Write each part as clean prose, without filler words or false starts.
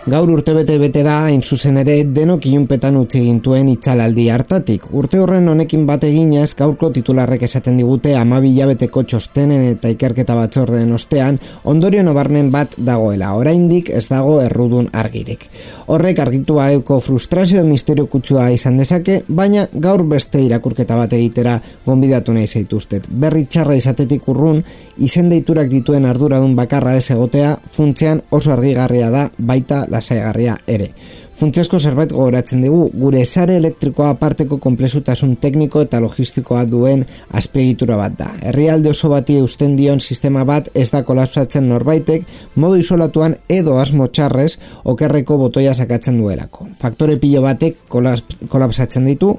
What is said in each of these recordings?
Gaur urtebete bete da, hain zuzen ere, denok ilunpetan utzi gintuen itzalaldi hartatik. Urte horren honekin bat eginez, gaurko titularrek esaten digute 12 hilabeteko txostenen eta ikerketa batzordeen ostean, ondorio nabarmen bat dagoela, oraindik ez dago errudun argirik. Horrek argitu baeko frustrazio misterio kutsua izan dezake, baina gaur beste irakurketa bat egitera gonbidatu nahi zaituztet. Berri txarra izatetik urrun, izen deiturak dituen arduradun bakarra ez egotea, funtzean oso argigarria da, baita lasaigarria ere. Funtsezko zerbait gogoratzen dugu, gure sare elektrikoa aparteko konplexutasun tekniko eta logistikoa duen azpiegitura bat da. Herrialde oso bati eusten dion sistema bat ez da kolapsatzen norbaitek, modu isolatuan edo asmo txarrez okerreko botoia sakatzen duelako. Faktore pilo batek kolapsatzen ditu,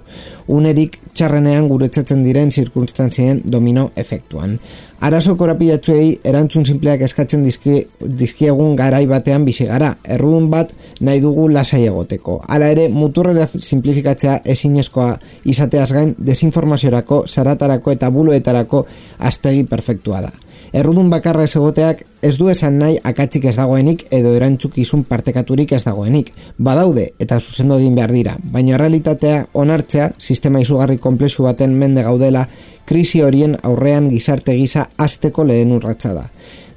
unerik txarrenean guretzatzen diren zirkunstantzien domino efektuan. Arazo korapilatzuei erantzun simpleak eskatzen dizkiegun garai batean bizi gara, errudun bat nahi dugu lasai egoteko. Hala ere, muturrera simplifikatzea ezinezkoa izateaz gain desinformaziorako, zaratarako eta buloetarako aztegi perfektua da. Errudun bakarra ez egoteak ez du esan nahi akatsik ez dagoenik edo erantzukizun partekaturik ez dagoenik. Badaude eta zuzendu egin behar dira, baina realitatea onartzea sistema izugarri konplexu baten mende gaudela krisi horien aurrean gizarte gisa hasteko lehen urratsa da.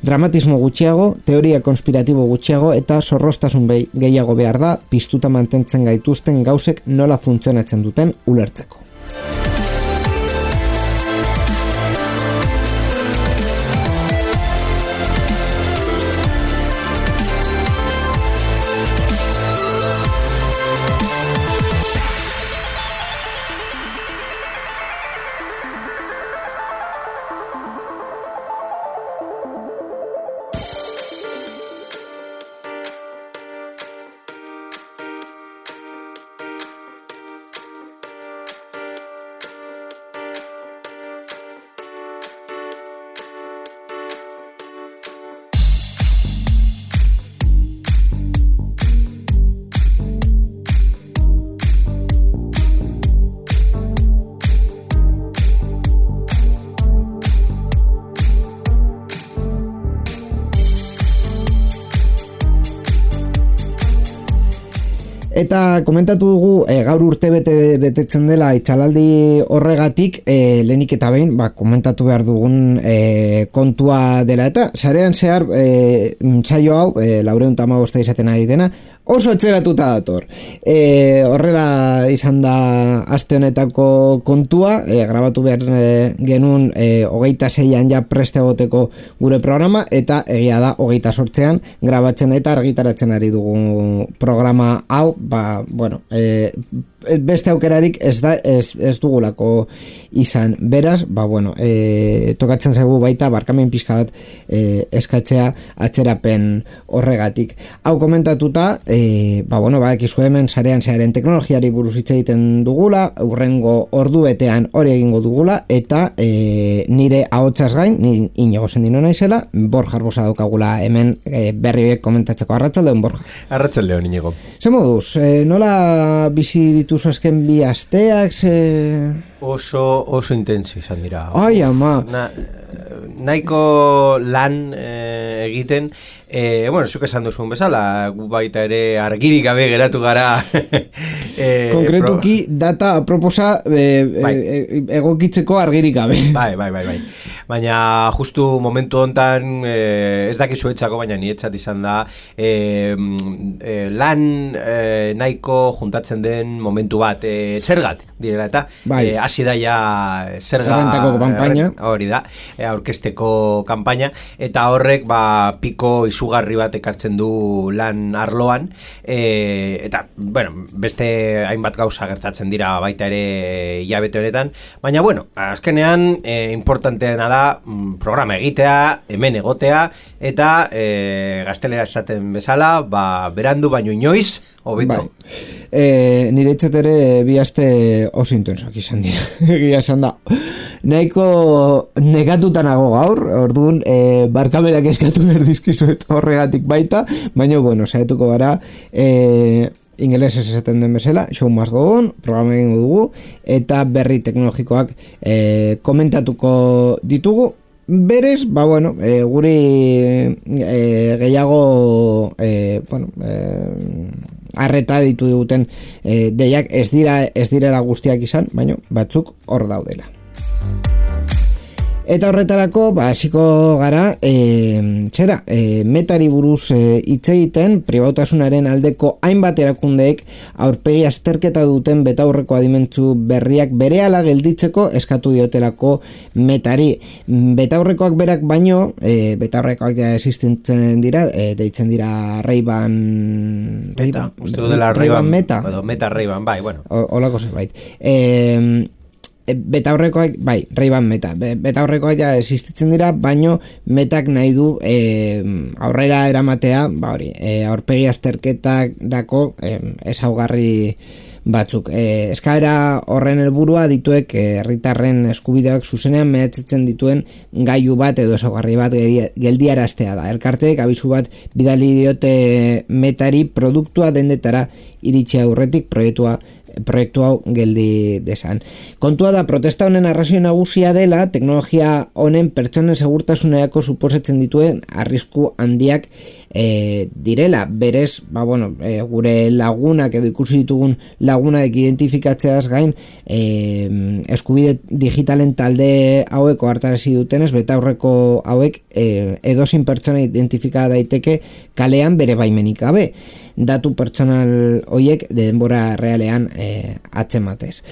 Dramatismo gutxiago, teoria konspiratibo gutxiago eta zorrostasun gehiago behar da piztuta mantentzen gaituzten gauzek nola funtzionatzen duten ulertzeko. Eta komentatu dugu gaur urte betetzen dela itzalaldi horregatik, lehenik eta behin komentatu behar dugun kontua dela eta sarean zehar saio hau 415 izaten ari dena oso etzeratuta dator. Horrela izan da aste honetako kontua, grabatu behar genuen 26an ja preste egoteko gure programa eta egia da 28an grabatzen eta argitaratzen ari dugu programa hau, beste aukerarik ez dugulako izan. Beraz, tokatzen zaigu baita barkamen pixka bat eskatzea atzerapen horregatik. Hau komentatuta, badakizu hemen sarean zearen teknologiari buruz hitz egiten dugula, hurrengo orduetean hori egingo dugula, eta nire ahotsaz gain, ni Inigo Sendino naizela, Borja Arbosa daukagula hemen berri horiek komentatzeko. Arratsaldeon, Borja. Arratsaldeon, Inigo. Ze moduz, nola bizi dituzu azken bi asteak? Oso intenso izan dira. Ai, ama. Nahiko lan egiten, zuk esan duzun bezala, gu baita ere argirik gabe geratu gara. Konkretuki data aproposa egokitzeko argirik gabe. Bai. Baina justu momentu hontan ez dakizu etxako, baina nietzat izan da lan nahiko juntatzen den momentu bat zergat direla eta hasi da ja zerga errentako kanpaina, hori da, aurkezteko kanpaina, eta horrek piko izugarri bat ekartzen du lan arloan, eta beste hainbat gauza gertatzen dira baita ere hilabete honetan, baina azkenean importanteena da programa egitea, hemen egotea, eta gaztelera esaten bezala, berandu baino inoiz, hobeto. nire etxetere bi aste oso intensoak izan dira. Egia esan da. Nahiko negatutanago gaur, orduan barkaberak eskatu berdizkizuet horregatik baita, baina, bueno, saietuko gara, ingelesez esaten den bezala, show must go on, programa egingo dugu, eta berri teknologikoak komentatuko ditugu. Berez, bueno, guri gehiago, arreta ditu diguten deiak ez direla guztiak izan, baina batzuk hor daudela. Eta horretarako, hasiko gara, metari buruz hitz egiten, pribautasunaren aldeko hainbat erakundeek aurpegi azterketa duten betaurreko adimentzu berriak berehala gelditzeko eskatu diotelako metari. Betaurrekoak berak baino, betaurrekoak existitzen dira, deitzen dira Ray-Ban Meta. Meta Ray-Ban, bai, bueno. Olako zerbait. Betaurrekoak, bai, Ray-Ban Meta. Betaurrekoak ja existitzen dira, baino metak nahi du aurrera eramatea, aurpegi azterketarako ezaugarri batzuk. Eskaera horren helburua dituek herritarren eskubideak zuzenean mehatzetzen dituen gailu bat edo ezaugarri bat geldiaraztea da. Elkarteek abisu bat bidali diote metari produktua dendetara iritsi aurretik proiektu hau geldi desan. Kontua da, protesta honen arrazio nagusia dela, teknologia honen pertsonen segurtasunerako suposatzen dituen arrisku handiak direla. Berez, gure lagunak edo ikusi ditugun lagunak identifikatzeaz gain, eskubide digitalen talde hauek ohartarazi dutenez, betaurreko hauek edozein pertsona identifika daiteke kalean bere baimenik gabe. Datu pertsonal hoiek denbora realean atzematez.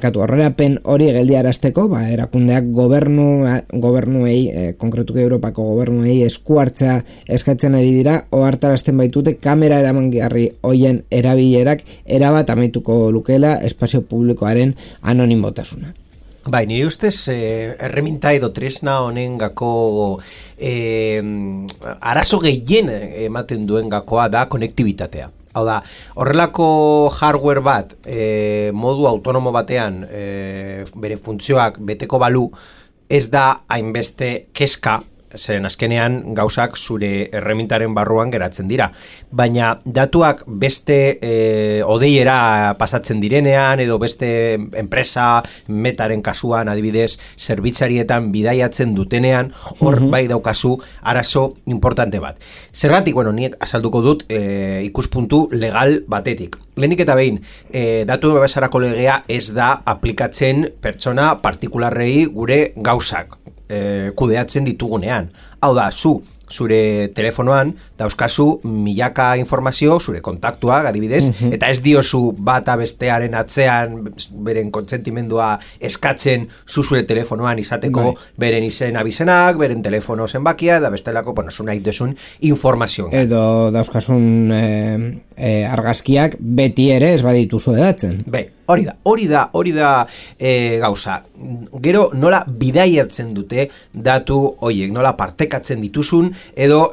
Aurrerapen hori geldiarazteko, erakundeak gobernuei, konkretuki Europako gobernuei esku hartzea eskatzen ari dira, ohartarazten baitute kamera eramangarri hoien erabilerak erabat amaituko lukeela espazio publikoaren anonimotasuna. Bai, nire ustez, erreminta edo tresna honen gako arazo gehien ematen duen gakoa da konektibitatea. Hau da, horrelako hardware bat modu autonomo batean bere funtzioak beteko balu ez da hainbeste kezka, zeren azkenean gauzak zure erremintaren barruan geratzen dira. Baina datuak beste odeiera pasatzen direnean edo beste enpresa metaren kasuan adibidez zerbitzarietan bidaiatzen dutenean hor bai daukazu arazo importante bat. Zergatik, nik azalduko dut ikuspuntu legal batetik. Lehenik eta behin, datu babesarako legea ez da aplikatzen pertsona partikularrei gure gauzak kudeatzen ditugunean. Hau da, zure telefonoan dauzkazu milaka informazio, zure kontaktuak adibidez, eta ez diozu bata bestearen atzean beren kontsentimendua eskatzen zure telefonoan izateko beren izen abizenak, beren telefono zenbakia, da bestelako, zu nahi duzun informazio. Edo dauzkasun argazkiak beti ere ez badituzu edatzen. Hori da gauza. Gero nola bidaiatzen dute datu hoiek, nola partekatzen dituzun edo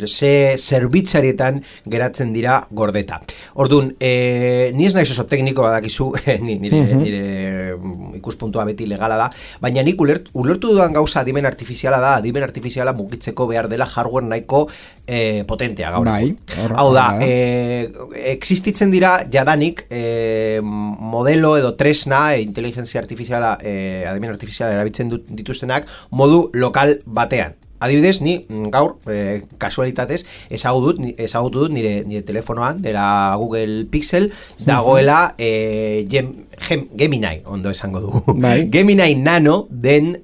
ze zerbitzarietan geratzen dira gordeta. Orduan, ni ez naiz oso tekniko badakizu, nire ikuspuntua beti legala da, baina nik ulertu dudan gauza adimen artifiziala da, adimen artifiziala mugitzeko behar dela hardware nahiko potentea gaur. Hau da, existitzen dira jadanik modelo edo tresna inteligentzia artifiziala, adimen artifiziala erabiltzen dituztenak modu lokal batean. Adibidez, ni gaur, kasualitatez, ezagutu dut nire telefonoan, dela Google Pixel, dagoela Gemini, ondo esango dugu. Gemini Nano den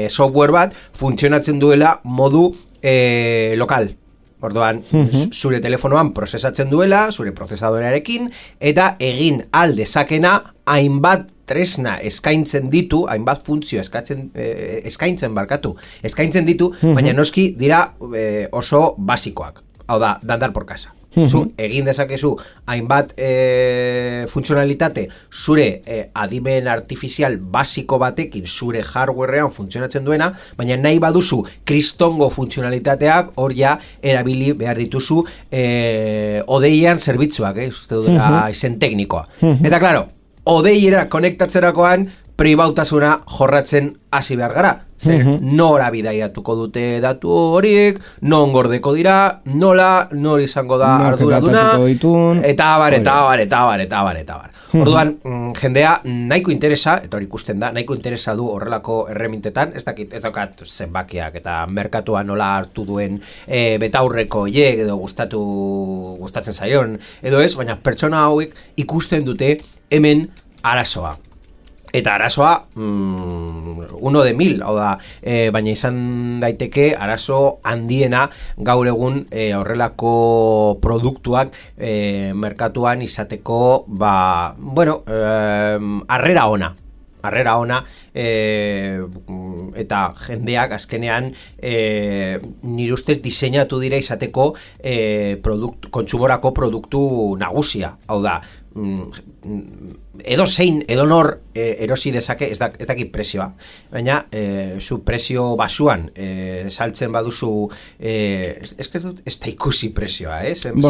software bat funtzionatzen duela modu lokal. Orduan, zure telefonoan prozesatzen duela, zure prozesadorearekin, eta egin aldezakena hainbat tresna eskaintzen ditu, hainbat funtzio eskaintzen ditu, baina noski dira oso basikoak. Hau da, dandar por casa. Zu egin dezakezu hainbat funtzionalitate zure adimen artifizial basiko batekin zure hardwarean funtzionatzen duena, baina nahi baduzu kristongo funtzionalitateak hor ja erabili behar dituzu odeian zerbitzuak, uste dudera izen teknikoa. Eta klaro, odeiera konektatzerakoan pribautasuna jorratzen hasi behar gara. Zer, nora bidaiatuko dute datu horiek, non gordeko dira, nola, nor izango da arduraduna, eta abar. Orduan, jendea nahiko interesa, eta hori ikusten da, nahiko interesa du horrelako erremintetan, ez daukat zenbakiak eta merkatua nola hartu duen betaurreko hiek edo gustatzen zaion, edo ez, baina pertsona hauek ikusten dute hemen arazoa. Eta arazoa, 1 de 1000, hau da, baina izan daiteke arazo handiena gaur egun horrelako produktuak merkatuan izateko, harrera ona, eta jendeak azkenean nire ustez diseinatu dira izateko kontsumorako produktu nagusia, hau da, edo nor erosi dezake, ez dakit prezioa, baina zu prezio basuan saltzen baduzu, ez da ikusi prezioa, €5.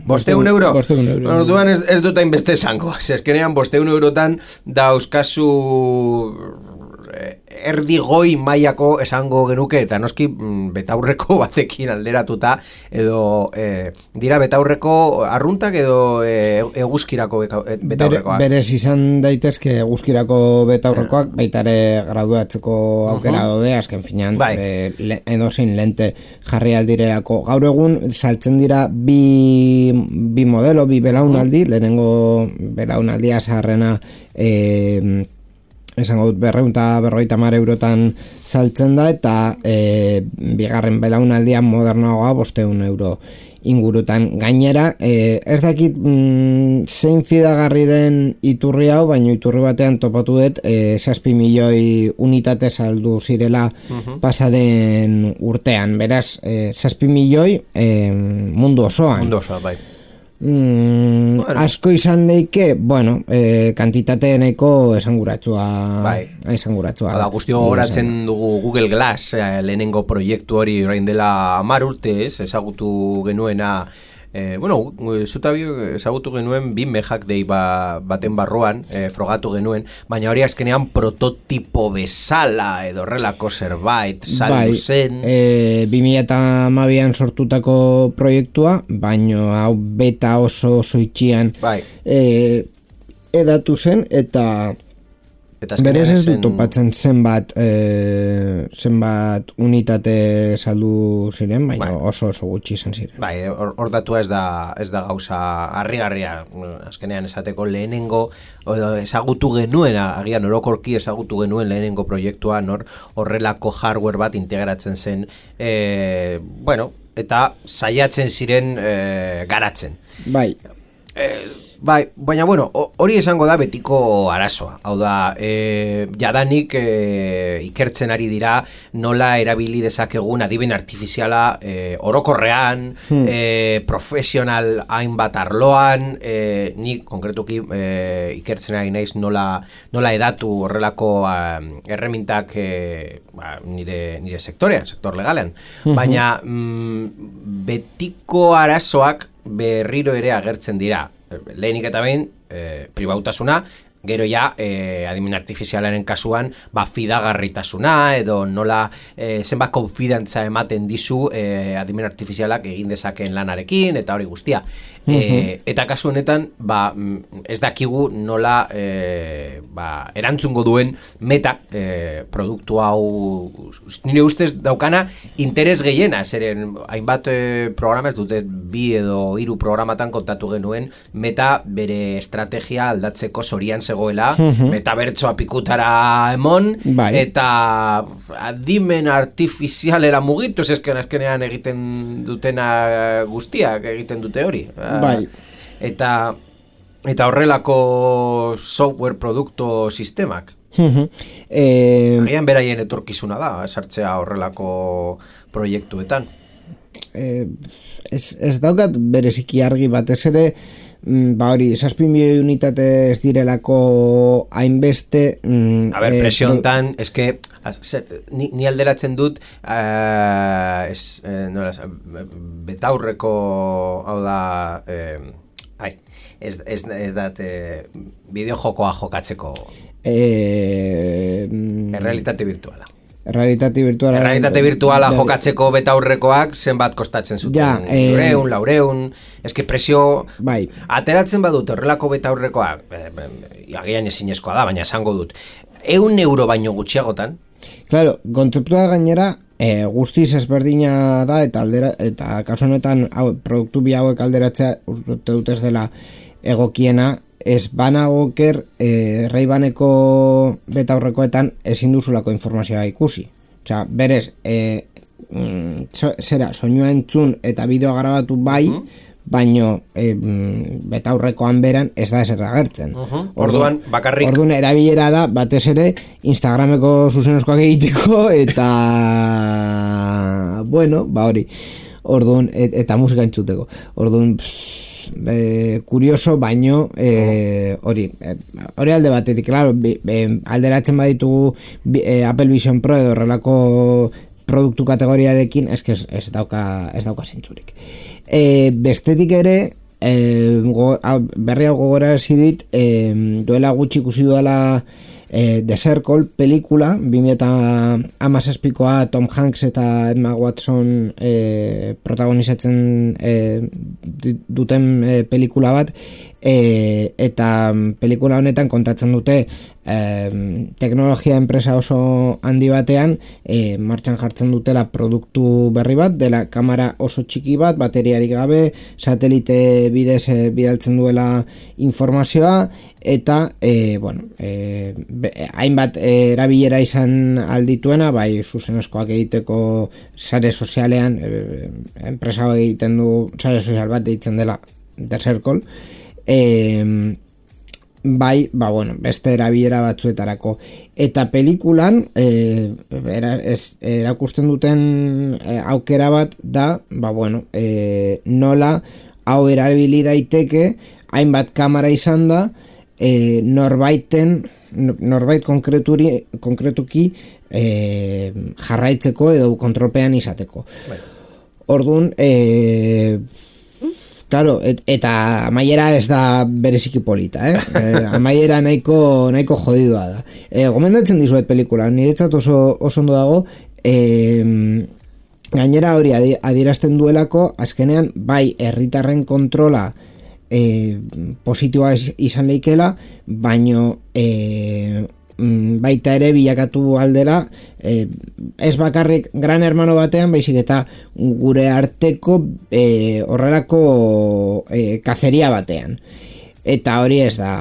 €5? Orduan ez dut hainbeste esango, eskenean €5 dauzkazu erdi goi mailako esango genuke, eta noski betaurreko batekin alderatuta, edo dira betaurreko arruntak edo eguzkirako betaurrekoak. Berez izan daitezke eguzkirako betaurrekoak, baita ere graduatzeko aukera daude, azken finean, edozein lente jarri aldirerako. Gaur egun saltzen dira bi modelo, bi belaunaldi, lehenengo belaunaldia zaharrena esango dut 250 eurotan saltzen da, eta bigarren belaunaldian modernoagoa €500 ingurutan. Gainera, ez dakit zein fidagarri den iturri hau, baina iturri batean topatu dut 6 milioi unitate saldu zirela pasaden urtean. Beraz, 6 milioi mundu osoan. Bai. Asko izan leike, kantitate nahiko esanguratsua. Hala, guztio horatzen dugu Google Glass, lehenengo proiektu hori orain dela 10 urte, ezagutu genuena, ezagutu genuen 2 mejak dei baten barruan, frogatu genuen, baina hori azkenean prototipo bezala edo horrelako zerbait saldu zen. 2012an sortutako proiektua, baina hau beta oso itxian edatu zen, eta berez ez dut topatzen zenbat unitate saldu ziren, baina oso gutxi izan ziren. Hor datua ez da gauza harrigarria, azkenean esateko lehenengo ezagutu genuena, agian orokorki ezagutu genuen lehenengo proiektua, horrelako hardware bat integratzen zen, eta saiatzen ziren garatzen. Baina hori esango da betiko arazoa. Hau da, jadanik ikertzen ari dira nola erabili dezakegun adimen artifiziala orokorrean, profesional hainbat arloan, ni konkretuki ikertzen ari naiz nola edatu horrelako erremintak nire sektorean, sektor legalean. Baina betiko arazoak berriro ere agertzen dira. Lehenik eta behin, pribautasuna, gero ja, adimen artifizialaren kasuan, fidagarritasuna, edo nola zenbat konfidantza ematen dizu adimen artifizialak egin dezakeen lanarekin, eta hori guztia. Eta kasu honetan, ez dakigu nola erantzungo duen metak produktu hau, nire ustez daukana, interes gehiena, zeren hainbat programa, ez dute 2 edo 3 programatan kontatu genuen, meta bere estrategia aldatzeko zorian zegoela, metabertsoa pikutara emon, eta adimen artifizialera mugitu, eskenean egiten dutena guztiak egiten dute hori. Eta horrelako software produktu sistemak. Agian beraien etorkizuna da, sartzea horrelako proiektuetan. ez daukat bereziki argi batez ere, hori, 7 milioi unitate ez direlako hainbeste... A ber, presiontan, eske, ni alderatzen dut, betaurreko, hau da, ez dat, bideojokoa jokatzeko... Errealitate virtuala. Errealitate virtuala jokatzeko betaurrekoak zenbat kostatzen zuten. 400, eske presio bai. Ateratzen badut horrelako betaurrekoak, agian ezinezkoa da, baina esango dut. 100 euro baino gutxiagotan. Claro, kontzeptua gainera guztiz ezberdina da eta kasu honetan produktu bi hauek alderatzea uste dut ez dela egokiena. Ez banagoker Ray-Baneko betaurrekoetan ezin duzulako informazioa ikusi. Osea, berez, soinua entzun eta bideo grabatu bai, baino betaurrekoan beran ez da ezer agertzen. Orduan, bakarrik... Orduan, erabilera da, batez ere, Instagrameko zuzenezkoak egiteko, eta... bueno, hori. Orduan, eta musika entzuteko. Orduan... kurioso, baino hori alde batetik, claro, alderatzen baditugu Apple Vision Pro edo horrelako produktu kategoriarekin, ez dauka zentzurik. Bestetik ere, berri hau gogora dit, duela gutxi ikusi duela The Circle pelikula, 2017koa Tom Hanks eta Emma Watson protagonizatzen duten pelikula bat, eta pelikula honetan kontatzen dute teknologia enpresa oso handi batean martxan jartzen dutela produktu berri bat, dela kamera oso txiki bat, bateriarik gabe, satelite bidez bidaltzen duela informazioa, eta hainbat erabilera izan aldituena, bai zuzenezkoak egiteko sare sozialean, enpresa egiten du sare sozial bat deitzen dela The Circle, bai, beste erabilera batzuetarako. Eta pelikulan erakusten duten aukera bat da, nola hau erabili daiteke, hainbat kamera izan da, norbait konkretuki jarraitzeko edo kontrolpean izateko. Orduan, claro, eta amaiera ez da bereziki polita, amaiera nahiko jodidua da. Gomendatzen dizuet pelikula, niretzat oso ondo dago, gainera hori adierazten duelako, azkenean, bai, herritarren kontrola positiboa izan leikela, baino baita ere bilakatu aldera ez bakarrik Gran Hermano batean, baizik eta gure arteko horrelako kazeria batean. Eta hori ez da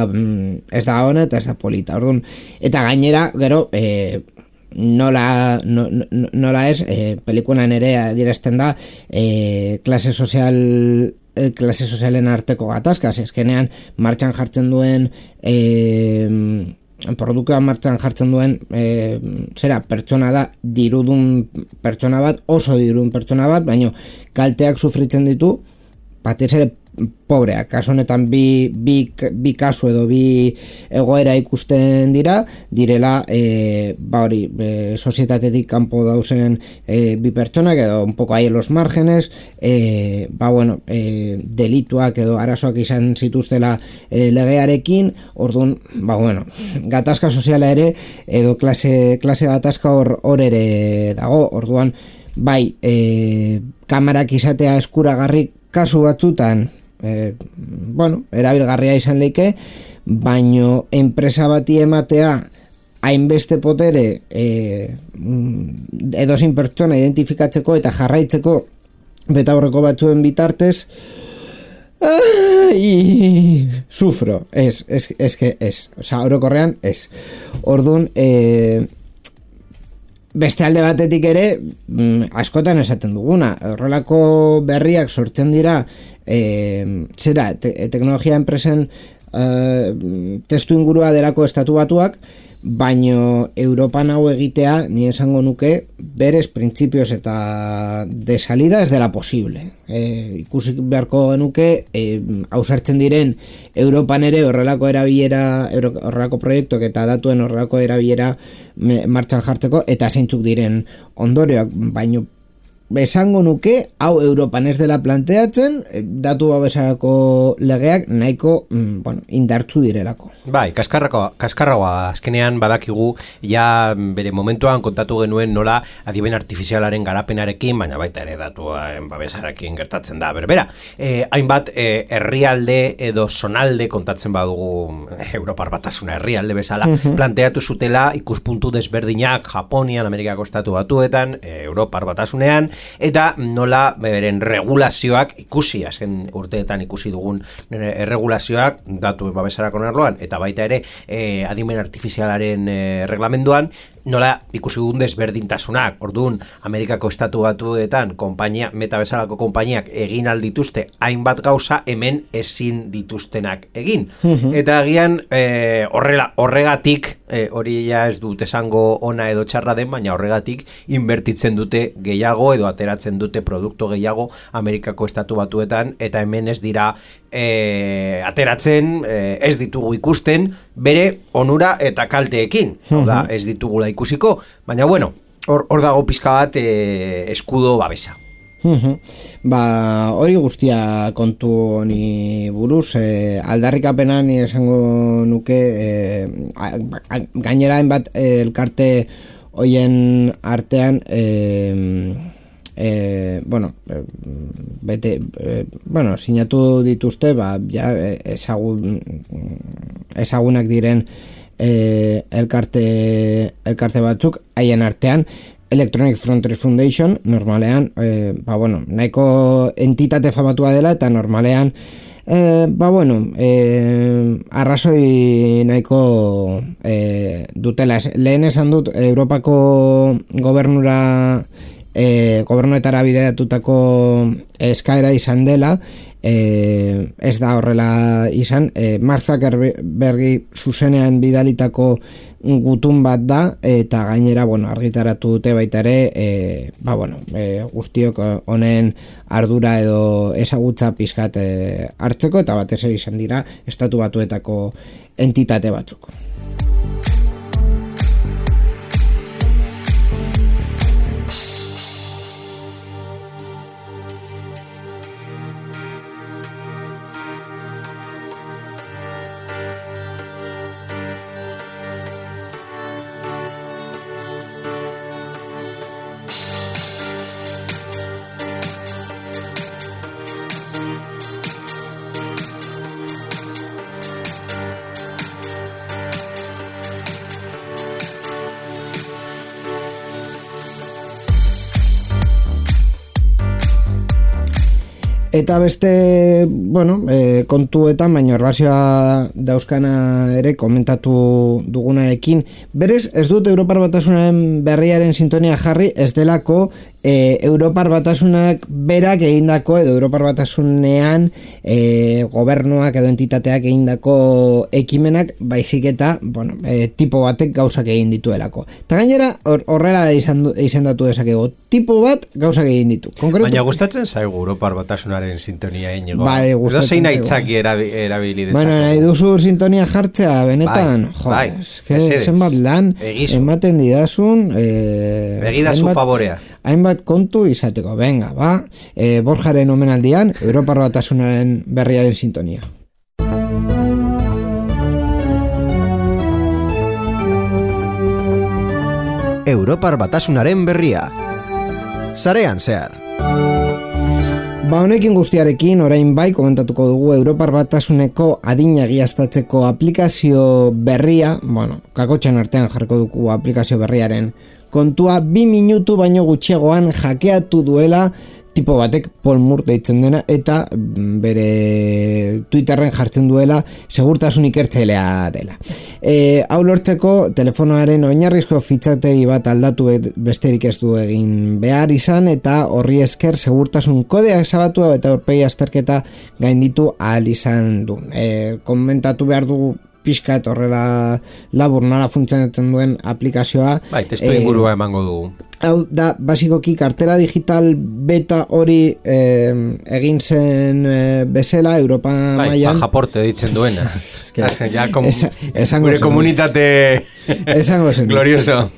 ona eta ez da polita. Orduan, eta gainera, gero, nola ez, pelikulan ere adierazten da klase sozialen arteko gatazkaz, eskenean martxan jartzen duen produktua martxan jartzen duen pertsona da, dirudun pertsona bat, oso dirudun pertsona bat, baino kalteak sufritzen ditu, batez ere pobreak, kasu honetan bi kasu edo bi egoera ikusten direla sozietatetik kanpo dauzen bi pertsonak edo un poco ahí en los márgenes, delituak edo arazoak izan zituztela legearekin, orduan, gatazka soziala ere edo klase gatazka hor ere dago, orduan, bai, kamerak izatea eskuragarri kasu batzutan, erabilgarria izan leike, baino enpresa bati ematea hainbeste potere edozein pertsona identifikatzeko eta jarraitzeko betaurreko batzuen bitartez, sufro, orokorrean ez. Orduan, beste alde batetik ere, askotan esaten duguna, horrelako berriak sortzen dira, teknologia enpresen testu ingurua delako estatu batuak, baino Europan hau egitea, ni esango nuke, berez printzipioz eta de salida ez dela posible. Ikusi beharko genuke, ausartzen diren Europan ere horrelako erabilera, horrelako proiektuak eta datuen horrelako erabilera martxan jartzeko, eta zeintzuk diren ondorioak, baino esango nuke, hau Europan ez dela planteatzen, datu babesarako legeak nahiko indartzu direlako. Bai, kaskarragoa azkenean badakigu, ja bere momentuan kontatu genuen nola adimen artifizialaren garapenarekin, baina baita ere datuen babesarekin gertatzen da berbera. Hainbat herrialde edo zonalde kontatzen badugu Europar Batasuna herrialde bezala, planteatu zutela ikuspuntu desberdinak Japonian, Amerikako Estatu Batuetan, Europar Batasunean, eta nola beren regulazioak ikusi, azken urteetan ikusi dugun regulazioak datu babesarako arloan, eta baita ere adimen artifizialaren reglamenduan, nola ikusi dugun desberdintasunak. Orduan, Amerikako Estatu Batuetan meta bezalako konpainiak egin aldituzte hainbat gauza, hemen ezin dituztenak egin. Eta agian horregatik, hori ja ez dut esango ona edo txarra den, baina horregatik inbertitzen dute gehiago edo ateratzen dute produktu gehiago Amerikako Estatu Batuetan, eta hemen ez dira ateratzen, ez ditugu ikusten bere onura eta kalteekin. Da, ez ditugula ikusiko, baina bueno, hor dago pizka bat eskudo babesa. Hori guztia kontu honi buruz, aldarrikapena ni esango nuke, gainera hainbat elkarte hoien artean sinatu dituzte, ja ezagunak diren elkarte batzuk, haien artean Electronic Frontier Foundation, normalean nahiko entitate famatua dela, eta normalean arrazoi nahiko dutela. Lehen esan dut, Europako gobernuetara bideratutako eskaera izan dela, ez da horrela izan. Mark Zuckerbergi zuzenean bidalitako gutun bat da, eta gainera argitaratu dute baita ere guztiok honen ardura edo ezagutza pizkat hartzeko, eta batez ere izan dira Estatu Batuetako entitate batzuk. Eta beste, kontuetan, baina erlazioa dauzkana ere komentatu dugunarekin, berez, ez dut Europar Batasunaren berriaren sintonia jarri, ez delako Europar Batasunak berak egindako, edo Europar Batasunean gobernuak edo entitateak egindako ekimenak, baizik eta tipo batek gauzak egin dituelako. Eta gainera, horrela izendatu dezakego, tipo bat gauzak egin ditu. Baina gustatzen zaigu Europar Batasunaren sintonia inigo. Bai, gustatzen zein aitzaki erabili dezakegu. Nahi duzu sintonia jartzea, benetan. Bai, zenbat lan ematen didazun. Begidazu favorea. Hainbat kontu izateko, venga, Borjaren omenaldian, Europar Batasunaren berriaren sintonia. Europar Batasunaren berria. Sarean zehar. Honekin guztiarekin, orain bai, komentatuko dugu Europar Batasuneko adina egiaztatzeko aplikazio berria, kakotxan artean jarriko dugu aplikazio berriaren kontua, 2 minutu baino gutxiagoan hackeatu duela tipo batek, Paul Moore deitzen dena, eta bere Twitterren jartzen duela segurtasun ikertzailea dela. Hau lortzeko, telefonoaren oinarrizko fitxategi bat aldatu besterik ez du egin behar izan, eta horri esker segurtasun kodea ezabatu eta aurpegi azterketa gainditu ahal izan du. Komentatu behar dugu pixkat horrela labur nola funtzionatzen duen aplikazioa. Bai, testu ingurua emango dugu. Hau da, basikoki kartera digital beta hori egin zen bezala Europa mailan. Pajaporte ditzen duena. Gure komunitate esango zen. Glorioso.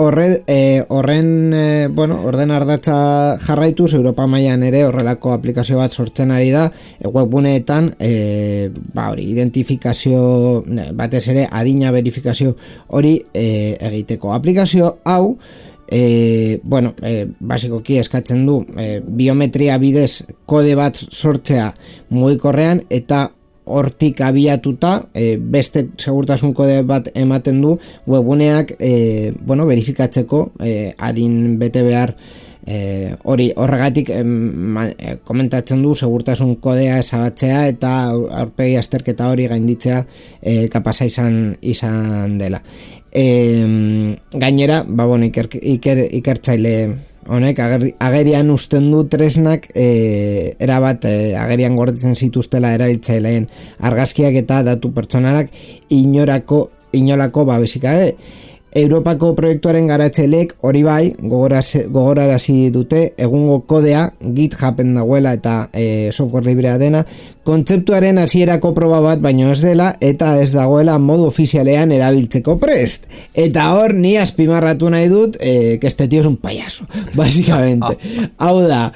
Horren orden ardatza jarraituz Europa mailan ere horrelako aplikazio bat sortzen ari da webguneetan identifikazio batez ere adina verifikazio hori egiteko. Aplikazio hau basikoki eskatzen du biometria bidez kode bat sortzea mugikorrean eta hortik abiatuta beste segurtasun kode bat ematen du webguneak verifikatzeko adin bete behar horregatik komentatzen du segurtasun kodea ezabatzea eta aurpegi azterketa hori gainditzea kapasa izan dela. Gainera, ikertzaile honek agerian usten du tresnak erabat agerian gordetzen zituztela erabiltzaileen argazkiak eta datu pertsonalak inolako babesik gabe. Europako proiektuaren garatzaileek hori bai gogorarazi dute egungo kodea GitHuben dagoela eta software librea dena kontzeptuaren hasierako proba bat baino ez dela eta ez dagoela modu ofizialean erabiltzeko prest. Eta hor ni azpimarratu nahi dut que este tío es un payaso, básicamente. Hau da,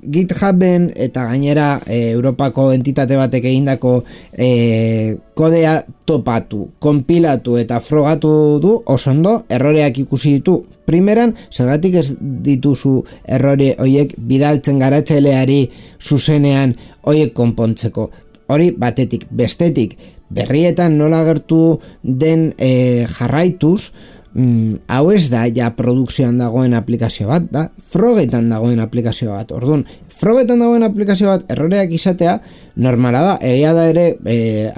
GitHuben eta gainera Europako entitate batek egindako kodea topatu, konpilatu eta frogatu du oso ondo, erroreak ikusi ditu. Primeran, zergatik ez dituzu errore horiek bidaltzen garatzaileari zuzenean horiek konpontzeko. Hori batetik, bestetik, berrietan nola agertu den jarraituz, hau ez da ja produkzioan dagoen aplikazio bat, da frogetan dagoen aplikazio bat. Orduan, frogetan dagoen aplikazio bat erroreak izatea normala da, egia da ere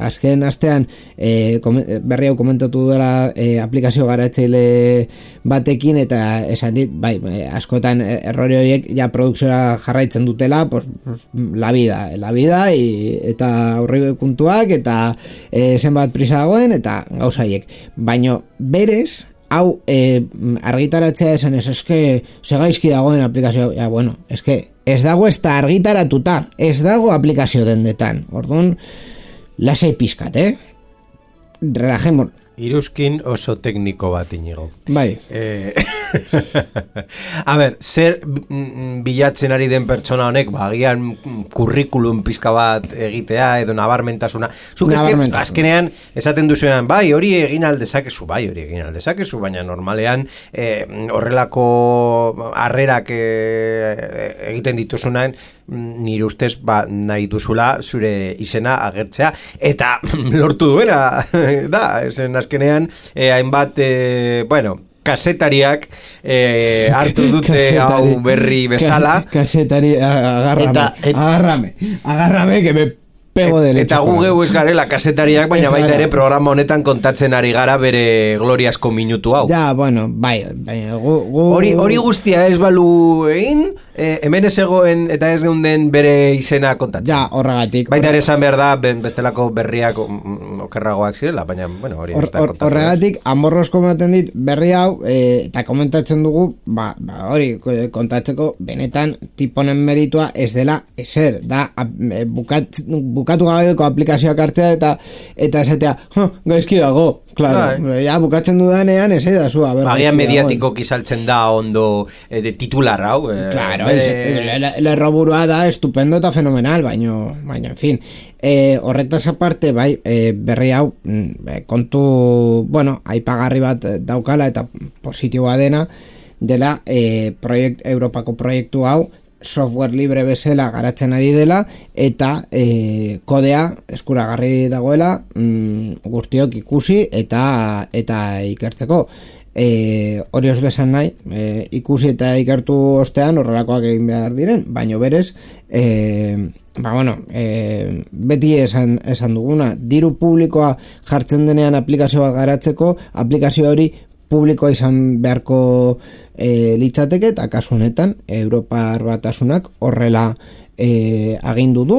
azken astean berri hau komentatu duela aplikazio garatzaile batekin eta esan dit, askotan errore horiek ja produkzioa jarraitzen dutela, la vida eta aurrekontuak eta zenbat prisa dagoen eta gauza haiek. Baino berez hau argitaratzea esan eske segaizki dagoen aplikazioa, eske ez dago ez da argitaratuta, ez dago aplikazio dendetan. Orduan, lasai pizkat, relajemos. Iruzkin oso tekniko bat inigo. Bai. A ber, zer bilatzen ari den pertsona honek, agian kurrikulum pizka bat egitea edo nabarmentasuna. Zuk azkenean esaten duzuenan, hori egin aldezakezu, baina normalean horrelako harrerak egiten dituzunan nire ustez nahi duzula zure izena agertzea eta lortu duena da, esen azkenean hainbat kasetariak hartu dute hau berri bezala kasetari agarrame que me pego de leche eta gu geu ez garela kasetariak baina baita ere programa honetan kontatzen ari gara bere gloriasko minutu hau hori guztia ez balu egin hemen ez egoen eta ez geunden bere izena kontatzen horregatik baita ere esan behar da bestelako berriak okerragoak zirela baina hori horregatik amorroz komaten dit berri hau eta komentatzen dugu hori kontatzeko benetan tiponen meritua ez dela ezer da bukatu gabeko aplikazioak hartzea eta esatea gaizki dago. Claro, bukatzen dudanean ez da zu, agian mediatiko kizaltzen da ondo de titular hau. Claro, lerroburua da estupendo eta fenomenal, baino en fin. Horretaz aparte, berri hau kontu, aipagarri bat daukala eta positiboa dela Europako proiektu hau software libre bezala garatzen ari dela eta kodea eskuragarri dagoela guztiok ikusi eta ikertzeko hori ez besan nahi ikusi eta ikertu ostean horrelakoak egin behar diren, baino berez beti esan duguna diru publikoa jartzen denean aplikazio bat garatzeko aplikazio hori publikoa izan beharko litzateke eta kasu honetan Europar Batasunak horrela agindu du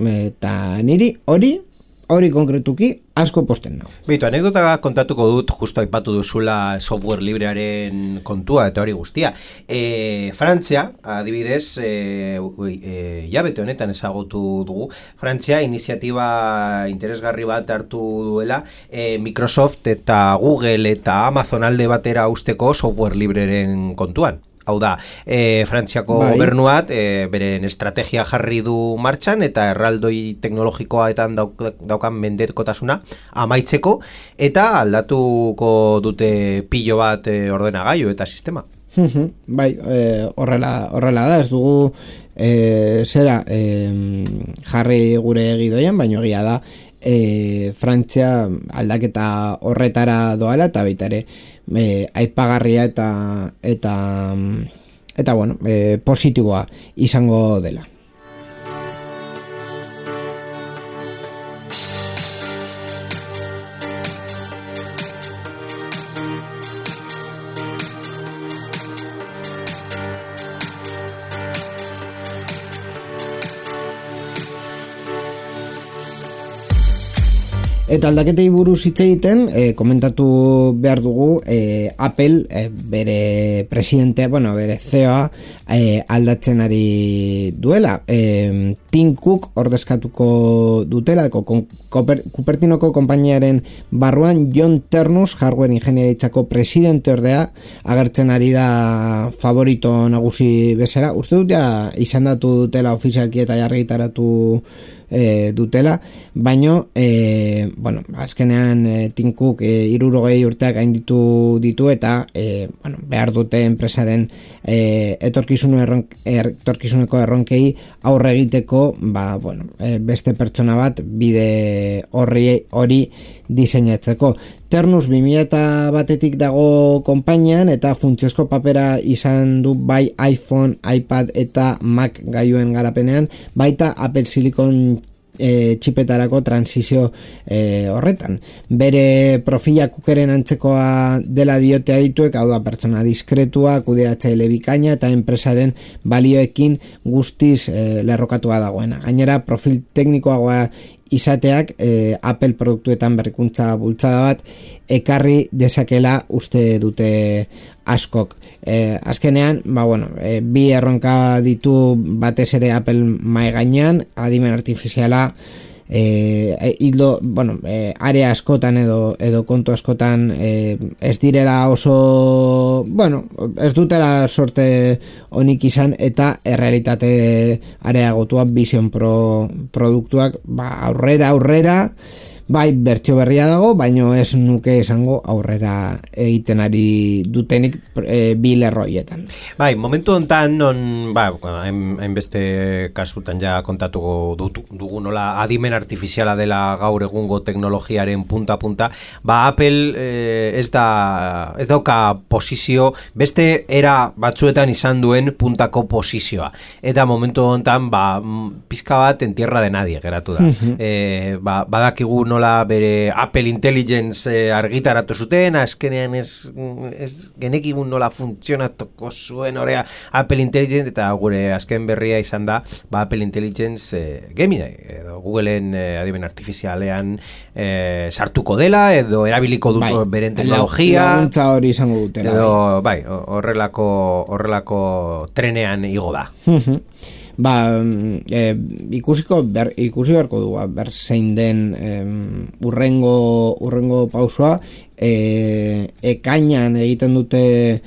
eta niri hori hori konkretuki asko posten nau. Beitu, anekdota kontatuko dut, justo aipatu duzula software librearen kontua eta hori guztia. Frantzia, adibidez, jabete honetan ezagutu dugu, Frantzia iniziatiba interesgarri bat hartu duela Microsoft eta Google eta Amazon alde batera usteko software libreren kontuan. Hau da, Frantziako gobernuat beren estrategia jarri du martxan eta erraldoi teknologikoaetan daukan mendekotasuna amaitzeko eta aldatuko dute pilo bat ordenagailu eta sistema. Bai, horrela da, ez dugu jarri gure gidoian, baina egia da Frantzia aldaketa horretara doala eta baita ere aipagarria eta bueno, positiboa izango dela. Eta aldaketei buruz hitz egiten, komentatu behar dugu Apple bere presidentea, bere CEO-a aldatzen ari duela. Tim Cook ordezkatuko dutela, Cupertinoko konpainiaren barruan John Ternus, hardware ingeniaritzako presidente ordea, agertzen ari da favorito nagusi bezala. Uste dut ja izendatu dutela ofizialki eta argitaratu dutela, baino azkenean Tim Cook 60 urteak gainditu ditu eta behar dute enpresaren etorkizuneko erronkei aurre egiteko beste pertsona bat bide hori diseinatzeko. Ternus 2001etik dago konpainian eta funtsezko papera izan du bai iPhone, iPad eta Mac gailuen garapenean, baita Apple Silicon txipetarako transizio horretan. Bere profila Cookeren antzekoa dela diote adituek, hau da pertsona diskretua, kudeatzaile bikaina eta enpresaren balioekin guztiz lerrokatua dagoena. Gainera, profil teknikoagoa izateak Apple produktuetan berrikuntza bultzada bat ekarri dezakela uste dute askok. Azkenean, bi erronka ditu batez ere Apple mai gainean, adimen artifiziala, area askotan edo kontu askotan ez direla oso ez dutela sorte onik izan eta errealitate areagotua Vision Pro produktuak aurrera bai bertsio berria dago, baino ez nuke esango aurrera egiten ari dutenik bi lerroietan. Bai, momentu hontan hainbeste kasutan ja kontatuko dugu nola adimen artifiziala dela gaur egungo teknologiaren punta, Apple ez dauka posizio, beste era batzuetan izan duen puntako posizioa. Eta momentu hontan pizka bat en tierra de nadie geratu da. Badakigu nola bere Apple Intelligence argitaratu zuten, azkenean ez genekigun nola funtzionatuko zuen horea Apple Intelligence, eta gure azken berria izan da Apple Intelligence Gemini edo Googleen adimen artifizialean sartuko dela edo erabiliko dut beren teknologia laguntza hori izango dutela edo horrelako trenean igo da. Ikusi beharko du zein den urrengo pausoa. Ekainan egiten dute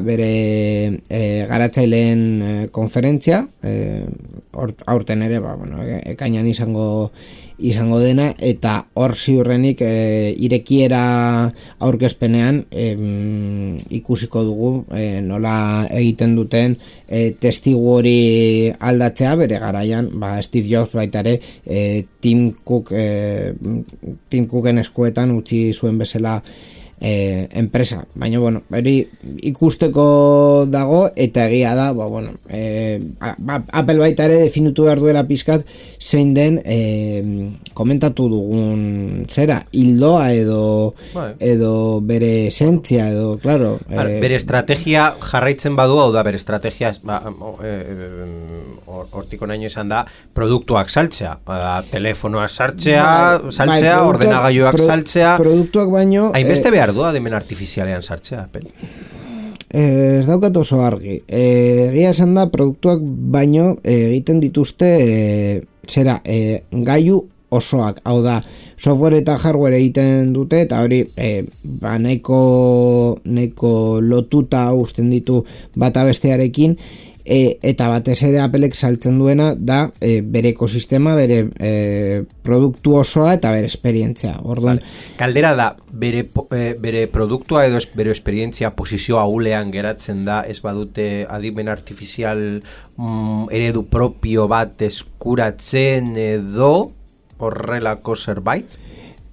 bere garatzaileen konferentzia, aurten ere ekainan izango dena, eta hor ziurrenik irekiera aurkezpenean ikusiko dugu nola egiten duten testigu hori aldatzea bere garaian, Steve Jobs baita ere Tim Cooken eskuetan utzi zuen bezala enpresa, baina bueno, hori ikusteko dago eta egia da, Apple baita ere definitu behar duela pizkat zein den komentatu dugun zera, hildoa edo bere esentzia edo, claro, bere estrategia jarraitzen badu, hau da bere estrategia hortiko naino izan da produktuak saltzea, telefonoak saltzea, ordenagailuak saltzea, produktuak baino hainbeste behar du adimen artifizialean sartzea, Apple. Ez daukat oso argi. Egia esan da, produktuak baino egiten dituzte gailu osoak, hau da, software eta hardware egiten dute, eta hori nahiko lotuta uzten ditu bata bestearekin, eta batez ere Applek saltzen duena da bere ekosistema, bere produktu osoa eta bere esperientzia. Orduan, kaldera da, bere produktua edo bere esperientzia posizio ahulean geratzen da, ez badute adimen artifizial eredu propio bat eskuratzen edo horrelako zerbait?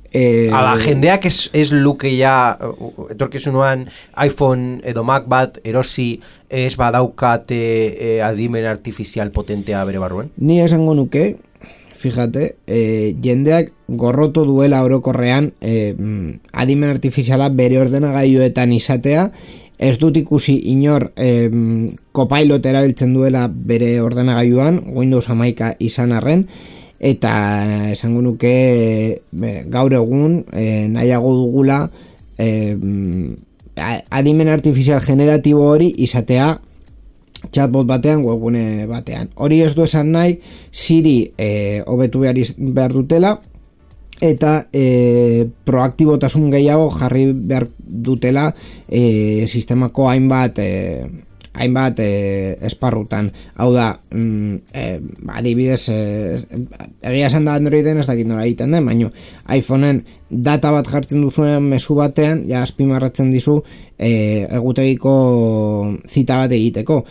Ala jendeak ez luke ja etorkizunuan iPhone edo Mac bat erosi ez badaukate adimen artifizial potentea bere barruen? Ni esango nuke, fíjate, jendeak gorroto duela orokorrean adimen artifiziala bere ordenagailuetan izatea, ez dut ikusi inor Copilot erabiltzen duela bere ordenagailuan, Windows 11 izan arren, eta esango nuke gaur egun nahiago dugula adimen artifizial generatibo hori izatea chatbot batean, webgune batean. Hori ez du esan nahi Siri hobetu behar dutela eta proaktibotasun gehiago jarri behar dutela sistemako hainbat esparrutan. Hau da, adibidez, egia esan da Androiden ez dakit nola egiten den, baina iPhoneen data bat jartzen duzunean mezu batean, ja azpimarratzen dizu egutegiko zita bat egiteko.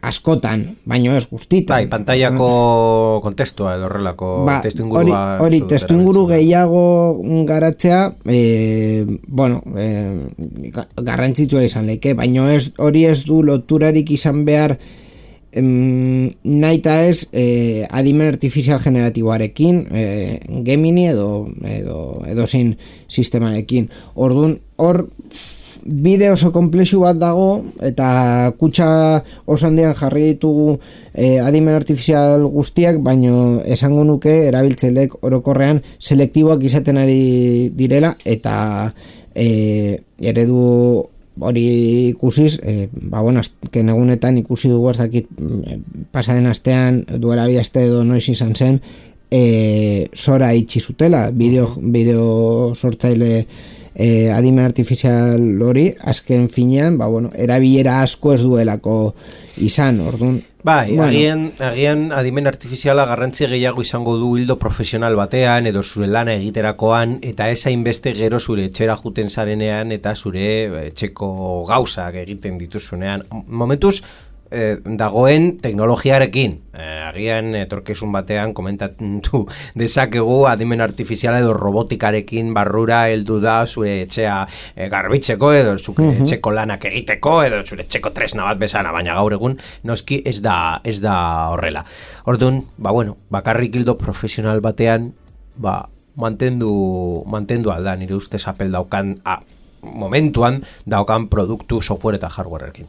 Askotan, baino ez guztitan. Bai, pantaiako kontestua edo horrelako testuingurua. Hori testuinguru gehiago garatzea, garrantzitsua izan leke, baino hori ez du loturarik izan behar naita ez adimen artifizial generatiboarekin, Gemini edo zein sistemarekin. Orduan, hor bide oso komplexu bat dago eta kutxa oso handian jarri ditugu adimen artifizial guztiak, baino esango nuke erabiltzaileek orokorrean selektiboak izaten ari direla eta eredu hori ikusiz, azken egunetan ikusi dugu ez dakit pasaden astean duela bi aste edo noiz izan zen Sora itxi zutela, bideo sortzaile adimen artifizial hori, azken finean, erabilera asko ez duelako izan, orduan. Bai, agian adimen artifiziala garrantzi gehiago izango du hildo profesional batean edo zure lana egiterakoan eta ez hainbeste gero zure etxera juten zarenean eta zure etxeko gauzak egiten dituzunean. Momentuz, dagoen teknologiarekin, agian etorkizun batean komentatu dezakegu adimen artifiziala edo robotikarekin barrura heldu da zure etxea garbitzeko edo zure etxeko lanak egiteko edo zure etxeko tresna bat bezala, baina gaur egun noski ez da horrela. Orduan, bakarrik hildo profesional batean mantendu alda nire ustez Apple daukan momentuan daukan produktu software eta hardwareekin.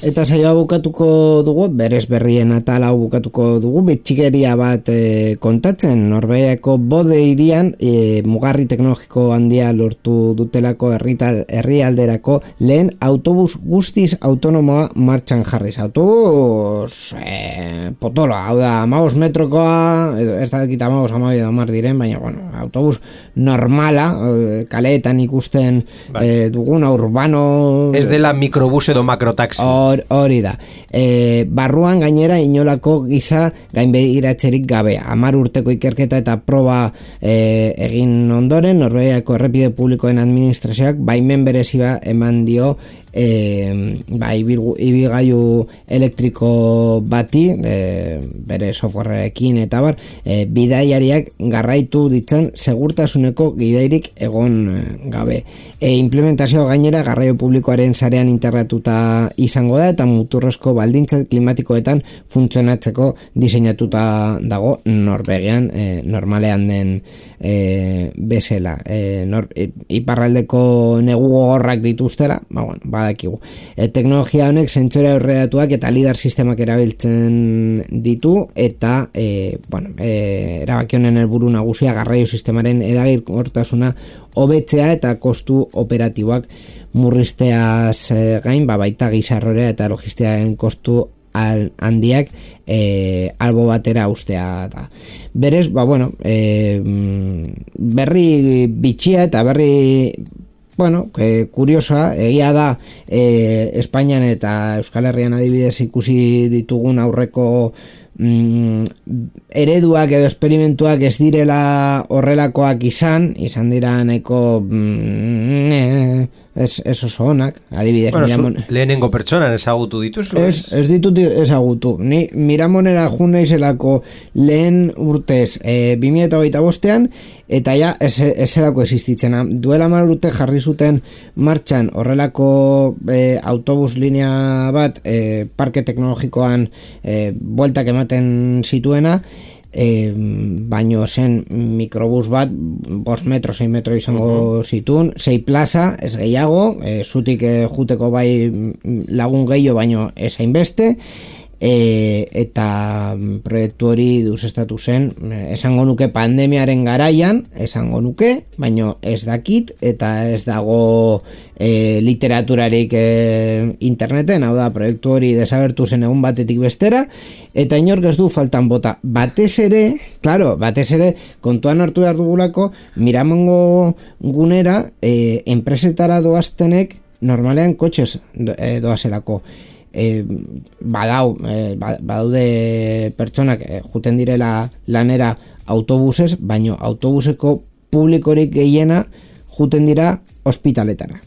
Eta saioa bukatuko dugu, berez berrien atala bukatuko dugu, bitxigeria bat kontatzen, Norvegiako Bode hirian mugarri teknologiko handia lortu dutelako herrialderako lehen autobus guztiz autonomoa martxan jarriz. Autobus potoloa, hau da, 15 metrokoa, ez da ekita 15 diren, baina bueno, autobus normala, kaleetan ikusten duguna, urbano... Ez dela mikrobus edo makrotaxi. Hori da. Barruan gainera inolako giza gainbegiratzerik gabe. 10 urteko ikerketa eta proba egin ondoren, Norvegiako errepide publikoen administrazioak baimen bereziba eman dio ibilgailu elektriko bati, bere softwareekin eta bar, bidaiariak garraitu ditzen segurtasuneko gidairik egon gabe. Implementazio gainera garraio publikoaren sarean integratuta izango da eta muturrezko baldintza klimatikoetan funtzionatzeko diseinatuta dago Norvegian, normalean den bezala. Iparraldeko negu gogorrak dituztela, badakigu. Teknologia honek zentsore aurreratuak eta lidar sistemak erabiltzen ditu eta erabaki honen helburu nagusia garraio sistemaren eraginkortasuna hobetzea eta kostu operatiboak murrizteaz gain, baita gizarrorea eta logistiaren kostu handiak albo batera ustea da. Berez, berri bitxia eta berri kuriosoa, egia da Espainian eta Euskal Herrian adibidez ikusi ditugun aurreko ereduak edo esperimentuak ez direla horrelakoak izan dira nahiko ez oso onak, adibidez lehenengo pertsonan ezagutu dituz? Ez ditut ezagutu, ni Miramonera jun naizelako lehen urtez 2025an eta ja ezelako existitzen, duela 10 urte jarri zuten martxan horrelako autobus linea bat parke teknologikoan bueltak ematen zituena, baino zen mikrobus bat 5 metro, 6 metro izango zituen, 6 plaza, ez gehiago, zutik juteko bai lagun gehiago baino ez hainbeste, eta proiektu hori deusestatu zen, esango nuke pandemiaren garaian, esango nuke, baino ez dakit, eta ez dago literaturarik interneten, hau da, proiektu hori desagertu zen egun batetik bestera, eta inork ez du faltan bota. Batez ere, kontuan hartu behar dugulako, Miramongo gunera, enpresetara doaztenek normalean kotxez doazelako. Badaude pertsonak juten direla lanera autobusez, baino autobuseko publikorik gehiena juten dira ospitaletara.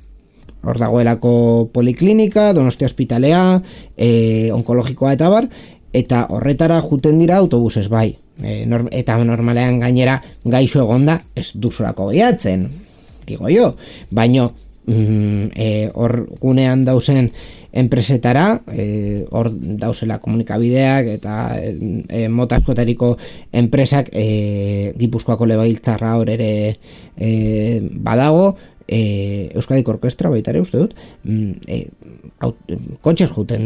Hor dagoelako poliklinika, Donostia ospitalea, onkologikoa eta bar, eta horretara juten dira autobusez bai. Eta normalean gainera gaixo egonda ez duzulako gehiatzen, digo jo, baino hor gunean dauzen enpresetara, hor dauzela komunikabideak eta mota askotariko enpresak, Gipuzkoako Legebiltzarra hor ere badago, Euskadiko Orkestra baita ere uste dut, kotxez juten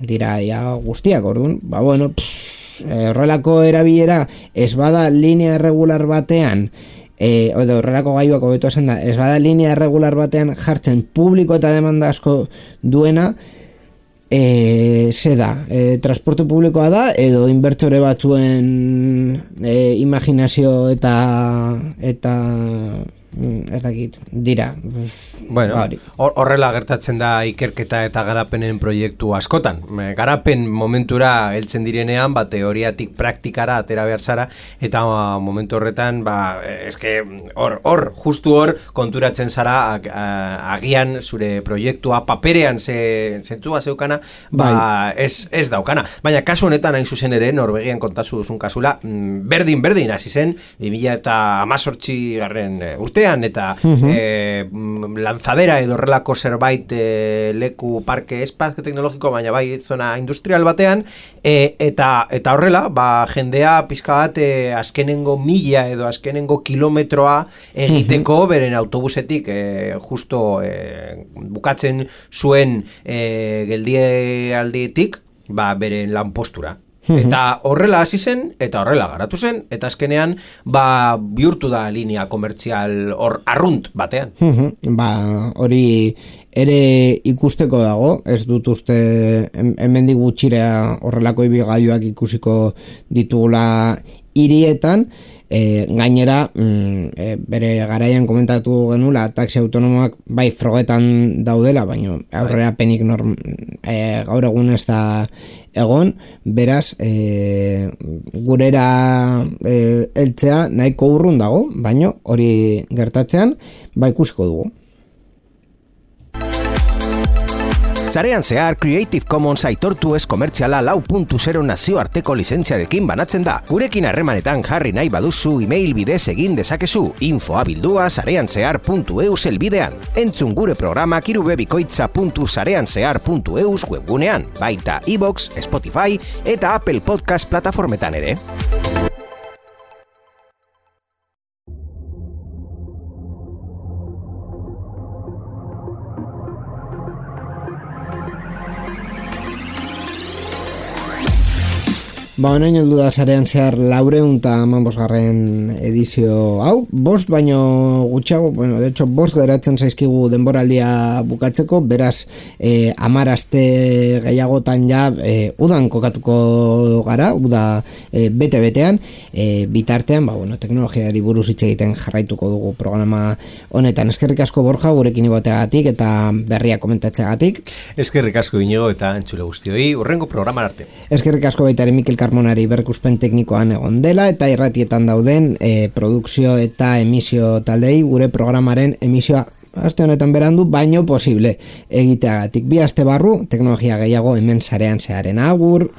dira guztiak, orduan, horrelako erabilera ez bada linea irregular batean, horrelako gaiuak hobeto esan da, ez bada linea irregular batean jartzen publiko eta demanda asko duena, ze da, transporte publikoa da edo inbertsore batzuen imaginazio eta ez dakit, dira. Bueno, horrela gertatzen da ikerketa eta garapenen proiektu askotan. Garapen momentura heltzen direnean, teoriatik praktikara atera behar zara, eta momentu horretan, justu hor konturatzen zara agian zure proiektua paperean zentzua zeukana, ez daukana. Baina kasu honetan hain zuzen ere, Norvegian kontazu duzun kasula, berdin hasi zen, 2018 urtean, batean, eta lanzadera edo horrelako zerbait leku parke espazio teknologiko, baina bai zona industrial batean, eta horrela, jendea pizka bat azkenengo mila edo azkenengo kilometroa egiteko beren autobusetik justo bukatzen zuen geldialditik beren lanpostura. Eta horrela hasi zen, eta horrela garatu zen, eta azkenean bihurtu da linea komertzial arrunt batean. Hori ere ikusteko dago, ez dut uste hemendik gutxira horrelako ibigailuak ikusiko ditugula hirietan. Gainera, bere garaian komentatu genula taxi autonomoak bai frogetan daudela, baina aurrera penik gaur egun ez da egon, beraz gurera heltzea nahiko urrun dago, baina hori gertatzean ikusiko dugu. Sarean zehar Creative Commons aitortu ez komertziala 4.0 nazioarteko lizentziarekin banatzen da. Gurekin harremanetan jarri nahi baduzu email bidez egin dezakezu info@sareanzehar.eus helbidean. Entzun gure programak irubebikoitza.sareanzehar.eus webgunean, baita iVoox, Spotify eta Apple Podcast plataformetan ere. Honaino heldu da sarean zehar 415. edizio hau, 5 baino gutxiago, de hecho 5 geratzen zaizkigu denboraldia bukatzeko, beraz 10 aste gehiagotan udan kokatuko gara, uda bete-betean, bitartean, teknologiari buruz hitz egiten jarraituko dugu programa honetan. Eskerrik asko Borja, gurekin igoteagatik eta berria komentatzeagatik. Eskerrik asko Inigo eta entzule guztioi, hurrengo programan arte. Eskerrik asko baita ere Mikel Carmonari berrikuspen teknikoan egon dela eta irratietan dauden produkzio eta emisio taldei gure programaren emisioa aste honetan berandu baino posible egiteagatik. 2 aste barru teknologia gehiago hemen sarean zeharen. Agur!